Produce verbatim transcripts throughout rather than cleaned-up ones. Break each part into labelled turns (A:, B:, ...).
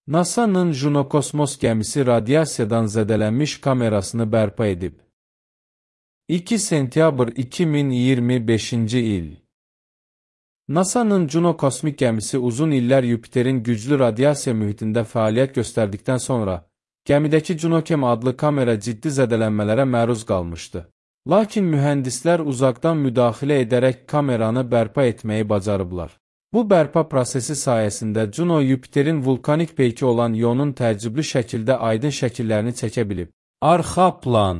A: NASA'nın Juno kosmos gəmisi radiasiyadan zədələnmiş kamerasını bərpa edib. iki sentyabr iki min iyirmi beşinci il. NASA'nın Juno kosmik gəmisi uzun illər Yupiterin güclü radiasiya mühitində fəaliyyət göstərdikdən sonra, gəmidəki JunoCam adlı kamera ciddi zədələnmələrə məruz qalmışdı. Lakin mühəndislər uzaqdan müdaxilə edərək kameranı bərpa etməyi bacarıblar. Bu bərpa prosesi sayəsində Juno Yupiterin vulkanik peyki olan ionun təəccüblü şəkildə aydın şəkillərini çəkə bilib. Arxa plan.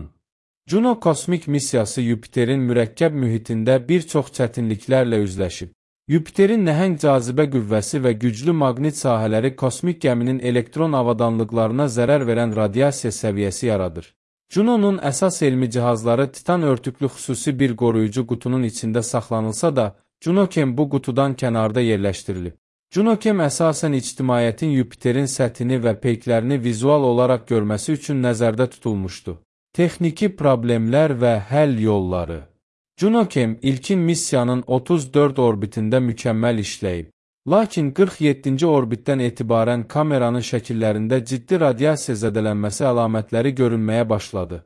A: Juno kosmik missiyası Yupiterin mürəkkəb mühitində bir çox çətinliklərlə üzləşib. Yupiterin nəhəng cazibə qüvvəsi və güclü maqnit sahələri kosmik gəminin elektron avadanlıqlarına zərər verən radiasiya səviyyəsi yaradır. Juno'nun əsas elmi cihazları titan örtüklü xüsusi bir qoruyucu qutunun içində saxlanılsa da, JunoCam bu qutudan kənarda yerləşdirilib. JunoCam əsasən ictimaiyyətin Yupiterin səthini və peyklərini vizual olaraq görməsi üçün nəzərdə tutulmuşdu. Texniki problemlər və həll yolları. JunoCam ilkin missiyanın otuz dörd orbitində mükəmməl işləyib. Lakin qırx yeddinci orbitdən etibarən kameranın şəkillərində ciddi radiasiya zədələnməsi əlamətləri görünməyə başladı.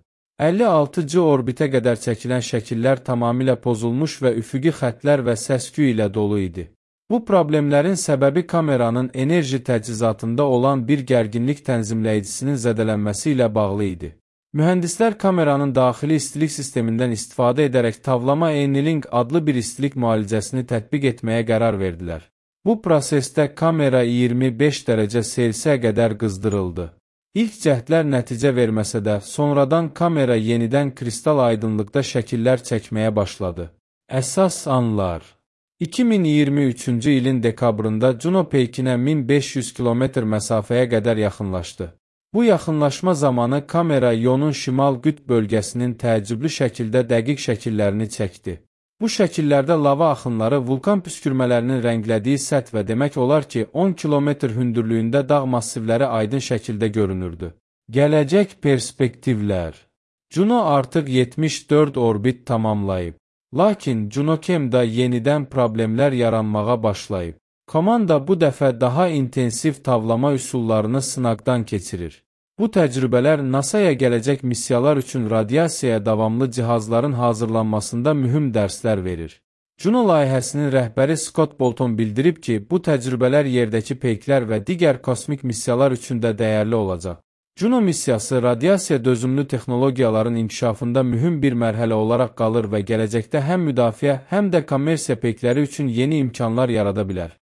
A: əlli altıncı orbitə qədər çəkilən şəkillər tamamilə pozulmuş və üfüqi xətlər və səs-küy ilə dolu idi. Bu problemlərin səbəbi kameranın enerji təchizatında olan bir gərginlik tənzimləyicisinin zədələnməsi ilə bağlı idi. Mühəndislər kameranın daxili istilik sistemindən istifadə edərək Tavlama Annealing adlı bir istilik müalicəsini tətbiq etməyə qərar verdilər. Bu prosesdə kamera iyirmi beş dərəcə Selsiyə qədər qızdırıldı. İlk cəhdlər nəticə verməsə də, sonradan kamera yenidən kristal aydınlıqda şəkillər çəkməyə başladı. Əsas anlar. iki min iyirmi üçüncü ilin dekabrında Juno peykinə min beş yüz kilometr məsafəyə qədər yaxınlaşdı. Bu yaxınlaşma zamanı kamera ionun şimal qütb bölgəsinin təəccüblü şəkildə dəqiq şəkillərini çəkdi. Bu şəkillərdə lava axınları vulkan püskürmələrinin rənglədiyi səth və demək olar ki, on kilometr hündürlüyündə dağ massivləri aydın şəkildə görünürdü. Gələcək perspektivlər. Juno artıq yetmiş dörd orbit tamamlayıb. Lakin JunoCam-da yenidən problemlər yaranmağa başlayıb. Komanda bu dəfə daha intensiv tavlama üsullarını sınaqdan keçirir. Bu təcrübələr NASA'ya gələcək missiyalar üçün radiasiyaya davamlı cihazların hazırlanmasında mühüm dərslər verir. Juno layihəsinin rəhbəri Scott Bolton bildirib ki, bu təcrübələr yerdəki peyklər və digər kosmik missiyalar üçün də dəyərli olacaq. Juno missiyası radiasiya dözümlü texnologiyaların inkişafında mühüm bir mərhələ olaraq qalır və gələcəkdə həm müdafiə, həm də kommersiya peykləri üçün yeni imkanlar yarada bilər.